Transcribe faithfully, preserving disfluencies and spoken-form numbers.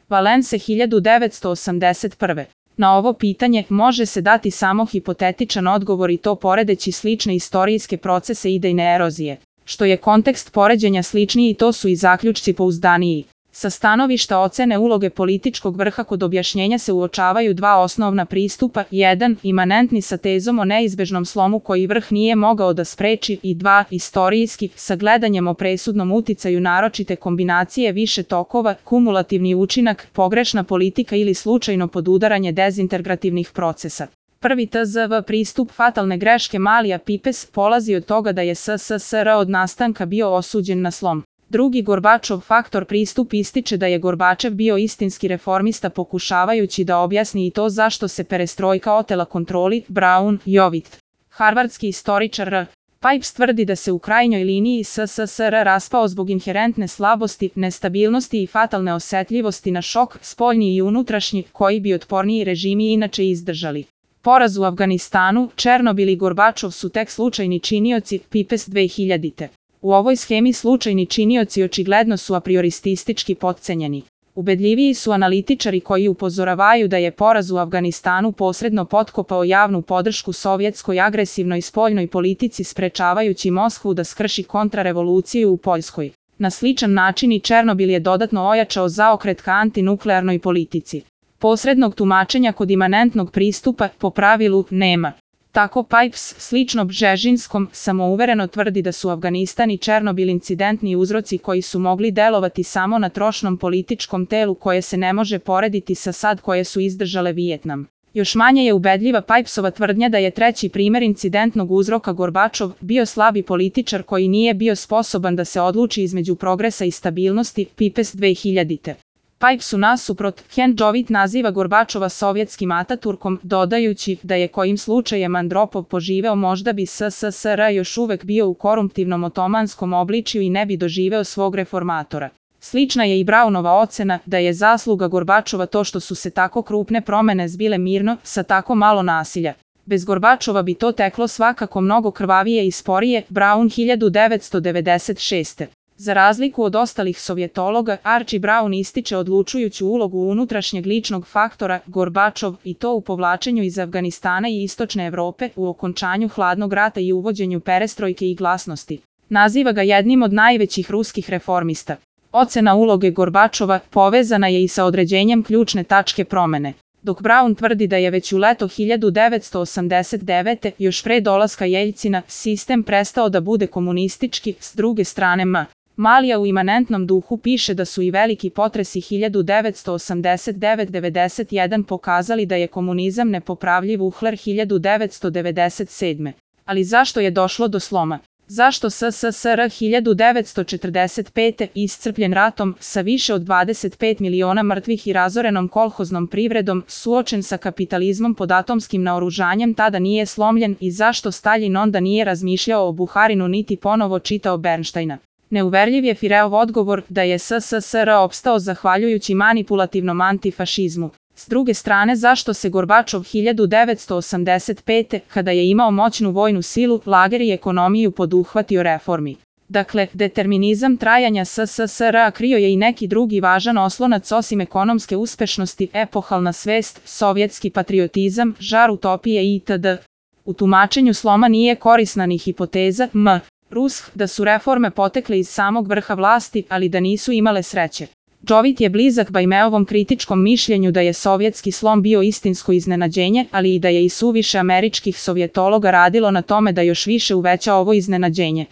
Valence hiljadu devetsto osamdeset prve. Na ovo pitanje može se dati samo hipotetičan odgovor i to poredeći slične istorijske procese idejne erozije. Što je kontekst poređenja sličniji, to su i zaključci pouzdaniji. Sa stanovišta ocene uloge političkog vrha kod objašnjenja se uočavaju dva osnovna pristupa, jedan, imanentni sa tezom o neizbežnom slomu koji vrh nije mogao da spreči i dva, istorijski, sa gledanjem o presudnom uticaju naročite kombinacije više tokova, kumulativni učinak, pogrešna politika ili slučajno podudaranje dezintegrativnih procesa. Prvi T Z V pristup fatalne greške Malija Pipes polazi od toga da je S S S R od nastanka bio osuđen na slom. Drugi Gorbačov faktor pristup ističe da je Gorbačev bio istinski reformista pokušavajući da objasni i to zašto se perestrojka otela kontroli. Brown, Jovit. Harvardski istoričar R. Pipes tvrdi da se u krajnjoj liniji S S S R raspao zbog inherentne slabosti, nestabilnosti i fatalne osetljivosti na šok, spoljni i unutrašnji, koji bi otporniji režimi inače izdržali. Poraz u Afganistanu, Černobil i Gorbačov su tek slučajni činioci. Pipes dve hiljadite. U ovoj schemi slučajni činioci očigledno su apriorististički potcenjeni. Ubedljiviji su analitičari koji upozoravaju da je poraz u Afganistanu posredno potkopao javnu podršku sovjetskoj agresivnoj spoljnoj politici sprečavajući Moskvu da skrši kontrarevoluciju u Poljskoj. Na sličan način i Černobil je dodatno ojačao zaokret ka antinuklearnoj politici. Posrednog tumačenja kod imanentnog pristupa, po pravilu, nema. Tako Pipes, slično Bžežinskom, samouvereno tvrdi da su Afganistan i Černobil incidentni uzroci koji su mogli delovati samo na trošnom političkom telu koje se ne može porediti sa sad koje su izdržale Vijetnam. Još manje je ubedljiva Pipesova tvrdnja da je treći primer incidentnog uzroka Gorbačov bio slabi političar koji nije bio sposoban da se odluči između progresa i stabilnosti. Pipes dve hiljadite. Pipesu nasuprot, Ken Jovit naziva Gorbačova sovjetskim Ataturkom, dodajući da je kojim slučajem Andropov poživeo možda bi S S S R još uvek bio u korumptivnom otomanskom obličju i ne bi doživeo svog reformatora. Slična je i Brownova ocena da je zasluga Gorbačova to što su se tako krupne promene zbile mirno, sa tako malo nasilja. Bez Gorbačova bi to teklo svakako mnogo krvavije i sporije. Brown hiljadu devetsto devedeset šeste. Za razliku od ostalih sovjetologa, Archie Brown ističe odlučujuću ulogu unutrašnjeg ličnog faktora, Gorbačov, i to u povlačenju iz Afganistana i istočne Evrope, u okončanju hladnog rata i uvođenju perestrojke i glasnosti. Naziva ga jednim od najvećih ruskih reformista. Ocena uloge Gorbačova povezana je i sa određenjem ključne tačke promene. Dok Brown tvrdi da je već u leto hiljadu devetsto osamdeset devete. još pre dolaska Jeljcina, sistem prestao da bude komunistički, s druge strane M. Malija u imanentnom duhu piše da su i veliki potresi hiljadu devetsto osamdeset devet do devedeset jedan pokazali da je komunizam nepopravljiv uhler hiljadu devetsto devedeset sedme. Ali zašto je došlo do sloma? Zašto S S S R hiljadu devetsto četrdeset pete. iscrpljen ratom, sa više od dvadeset pet miliona mrtvih i razorenom kolhoznom privredom, suočen sa kapitalizmom pod atomskim naoružanjem tada nije slomljen i zašto Staljin onda nije razmišljao o Buharinu niti ponovo čitao Bernštajna? Neuverljiv je Fireov odgovor da je S S S R opstao zahvaljujući manipulativnom antifašizmu. S druge strane, zašto se Gorbačov hiljadu devetsto osamdeset pete. kada je imao moćnu vojnu silu, lager i ekonomiju poduhvatio reformi? Dakle, determinizam trajanja S S S R krio je i neki drugi važan oslonac osim ekonomske uspešnosti, epohalna svest, sovjetski patriotizam, žar utopije itd. U tumačenju sloma nije korisna ni hipoteza M. Rusk da su reforme potekle iz samog vrha vlasti, ali da nisu imale sreće. Jovit je blizak Bajmeovom kritičkom mišljenju da je sovjetski slom bio istinsko iznenađenje, ali i da je i suviše američkih sovjetologa radilo na tome da još više uveća ovo iznenađenje.